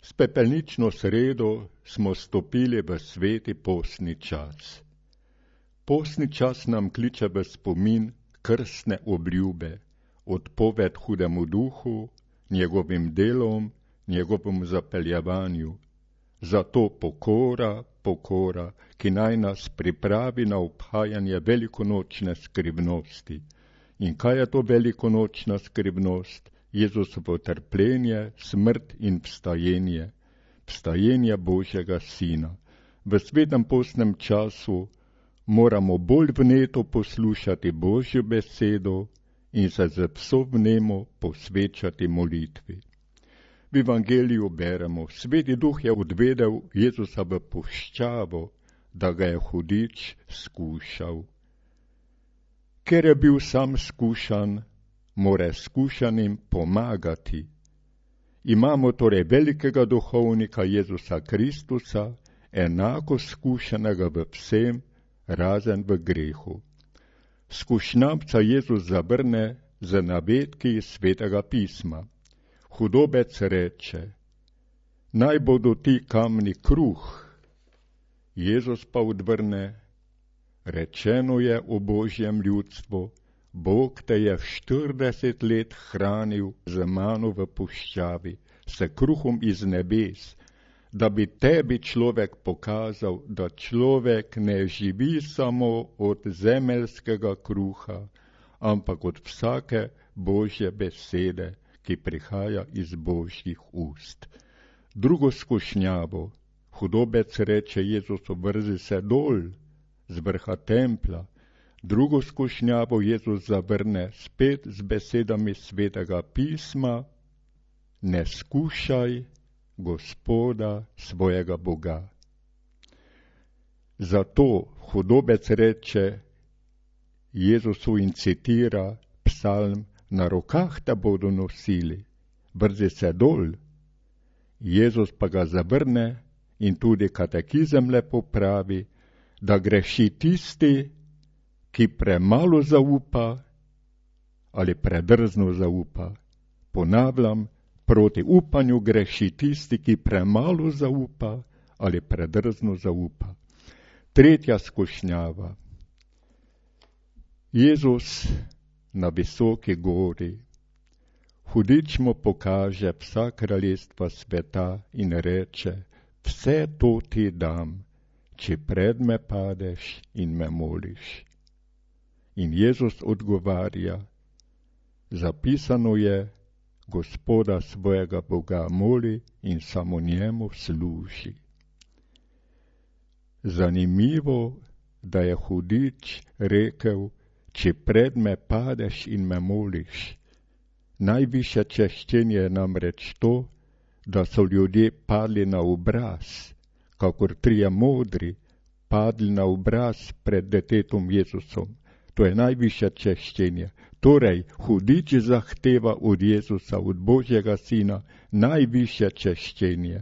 S pepelnično sredo smo stopili v sveti postni čas. Postni čas nam kliče v spomin krstne obljube, odpoved hudemu duhu, njegovim delom, njegovemu zapeljevanju. Zato pokora, ki naj nas pripravi na obhajanje velikonočne skrivnosti. In kaj je to velikonočna skrivnost? Jezusovo trpljenje, smrt in vstajenje Božjega Sina. V svetem postnem času moramo bolj vneto poslušati Božjo besedo in se z vso vnemo posvečati molitvi. V Evangeliju beremo, Sveti Duh je odvedel Jezusa v puščavo, da ga je hudič skušal. Ker je bil sam skušan, mora skušanim pomagati. Imamo torej velikega duhovnika Jezusa Kristusa, enako skušanega v vsem, razen v grehu. Skušnjavca Jezus zavrne z navedki iz Svetega pisma. Hudobec reče, naj bodo ti kamni kruh. Jezus pa odvrne, rečeno je o Božjem ljudstvu, Bog te je 40 let hranil z mano v puščavi, s kruhom iz nebes, da bi tebi človek pokazal, da človek ne živi samo od zemeljskega kruha, ampak od vsake Božje besede, ki prihaja iz Božjih ust. Drugo skušnjavo, hudobec reče Jezusu, vrzi se dol z vrha templja. Drugo skušnjavo Jezus zavrne spet z besedami Svetega pisma, ne skušaj Gospoda svojega Boga. Zato hudobec reče Jezusu in citira psalm, na rokah te bodo nosili, vrzi se dol. Jezus pa ga zavrne in tudi katekizem lepo pravi, da greši tisti, ki premalo zaupa ali predrzno zaupa. Ponavljam, proti upanju greši tisti, ki premalo zaupa ali predrzno zaupa. Tretja skušnjava. Jezus na visoki gori. Hudič mu pokaže vsa kraljestva sveta in reče, vse to ti dam, če pred me padeš in me moliš. In Jezus odgovarja, zapisano je, Gospoda svojega Boga moli in samo njemu služi. Zanimivo, da je hudič rekel, če pred me padeš in me moliš. Najvišje češčenje je namreč to, da so ljudje padli na obraz, kakor trije modri padli na obraz pred detetom Jezusom. To je najvišje češčenje. Torej, hudič zahteva od Jezusa, od Božjega Sina, najvišje češčenje.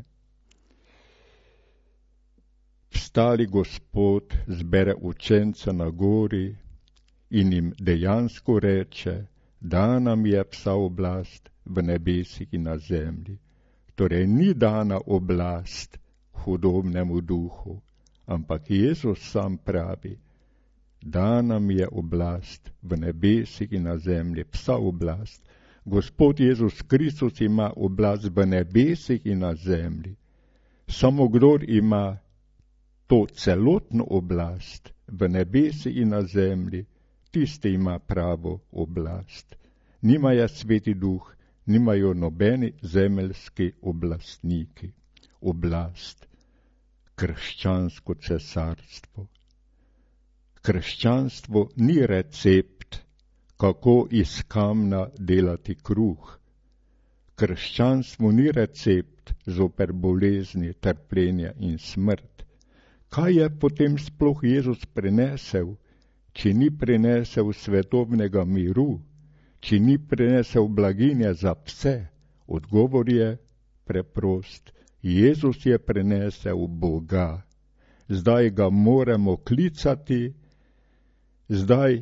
Vstali Gospod zbere učence na gori in jim dejansko reče, da nam je vsa oblast v nebesih in na zemlji. Torej, ni dana oblast hudobnemu duhu, ampak Jezus sam pravi, da nam je oblast v nebesih in na zemlji, vsa oblast. Gospod Jezus Kristus ima oblast v nebesih in na zemlji. Samo kdor ima to celotno oblast v nebesih in na zemlji, tisti ima pravo oblast. Nimajo Sveti Duh, nimajo nobeni zemeljski oblastniki. Oblast, krščansko cesarstvo. Krščanstvo ni recept, kako iz kamna delati kruh. Krščanstvo ni recept zoper bolezni, trpljenje in smrt. Kaj je potem sploh Jezus prinesel, če ni prinesel svetovnega miru, če ni prinesel blaginje za vse? Odgovor je preprost. Jezus je prinesel Boga. Zdaj ga moramo klicati, zdaj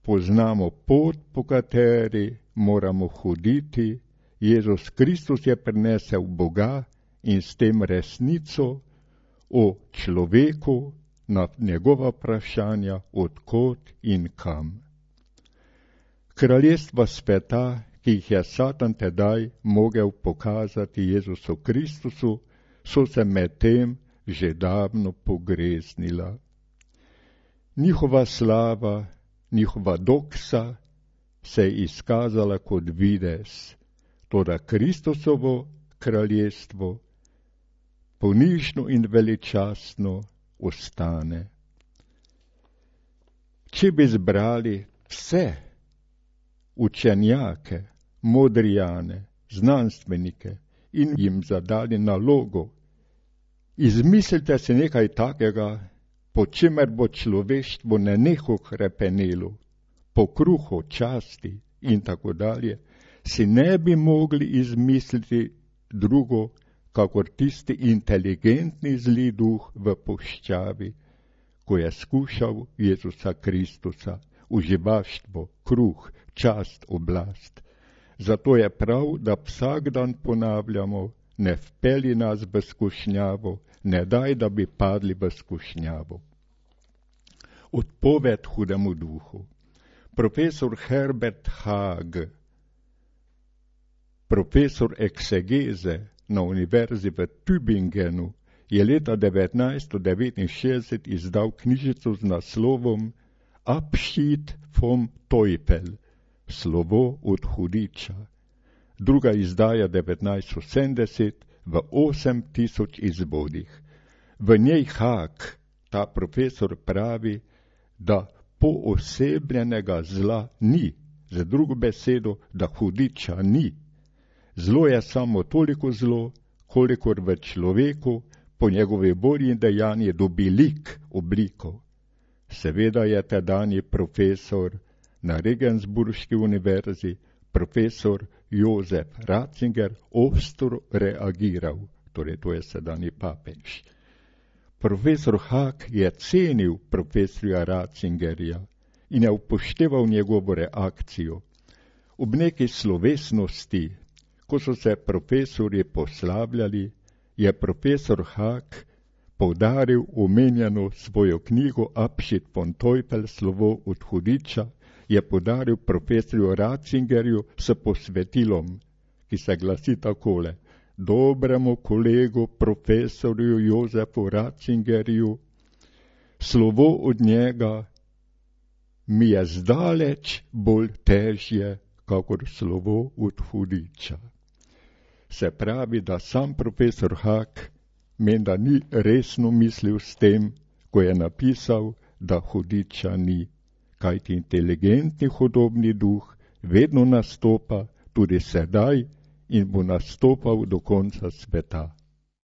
poznamo pot, po kateri moramo hoditi. Jezus Kristus je prinesel Boga in s tem resnico o človeku na njegova vprašanja odkot in kam. Kraljestva sveta, ki jih je Satan tedaj mogel pokazati Jezusu Kristusu, so se medtem že davno pogreznila. Njihova slava, njihova doksa se je izkazala kot videz, toda Kristusovo kraljestvo ponižno in veličastno ostane. Če bi zbrali vse učenjake, modrijane, znanstvenike in jim zadali nalogo, izmislite si nekaj takega, po čemer bo človeštvo nenehno hrepenelo, po kruhu, časti in tako dalje, si ne bi mogli izmisliti drugo, kakor tisti inteligentni zli duh v puščavi, ko je skušal Jezusa Kristusa, uživaštvo, kruh, čast, oblast. Zato je prav, da vsak dan ponavljamo, ne vpelji nas v skušnjavo, ne daj, da bi padli v skušnjavo. Odpoved hudemu duhu. Profesor Herbert Haag, profesor eksegeze na univerzi v Tübingenu, je leta 1969 izdal knjižico z naslovom Abschied vom Teufel, slovo od hudiča. Druga izdaja 1970 v 8000 izvodih. V njej Haag, ta profesor, pravi, da poosebljenega zla ni, z drugo besedo, da hudiča ni. Zlo je samo toliko zlo, kolikor v človeku po njegovi volji in dejanji dobi lik, obliko. Seveda je tedanji profesor na Regensburški univerzi, profesor Josef Ratzinger, ostro reagiral, torej to je sedanji papež. Profesor Haag je cenil profesorja Ratzingerja in je upošteval njegovo reakcijo. Ob neki slovesnosti, ko so se profesorji poslavljali, je profesor Haag poudaril omenjeno svojo knjigo Abschied von Teufel, slovo od hudiča, je podaril profesorju Ratzingerju s posvetilom, ki se glasi takole: dobremu kolegu profesorju Jozefu Ratzingerju, slovo od njega mi je zdaleč bolj težje, kakor slovo od hudiča. Se pravi, da sam profesor Haag menda ni resno mislil s tem, ko je napisal, da hudiča ni, kajti inteligentni hudobni duh vedno nastopa tudi sedaj in bo nastopal do konca sveta.